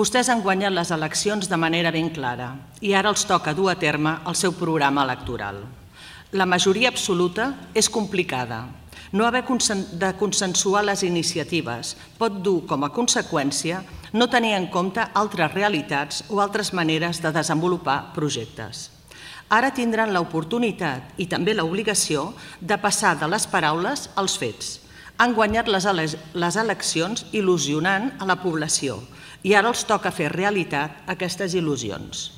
Vostès han guanyat les eleccions de manera ben clara i ara els toca dur a terme el seu programa electoral. La majoria absoluta és complicada. No haver de consensuar les iniciatives pot dur com a conseqüència no tenir en compte altres realitats o altres maneres de desenvolupar projectes. Ara tindran l'oportunitat i també l'obligació de passar de les paraules als fets. Han guanyat les eleccions il·lusionant a la població i ara els toca fer realitat aquestes il·lusions.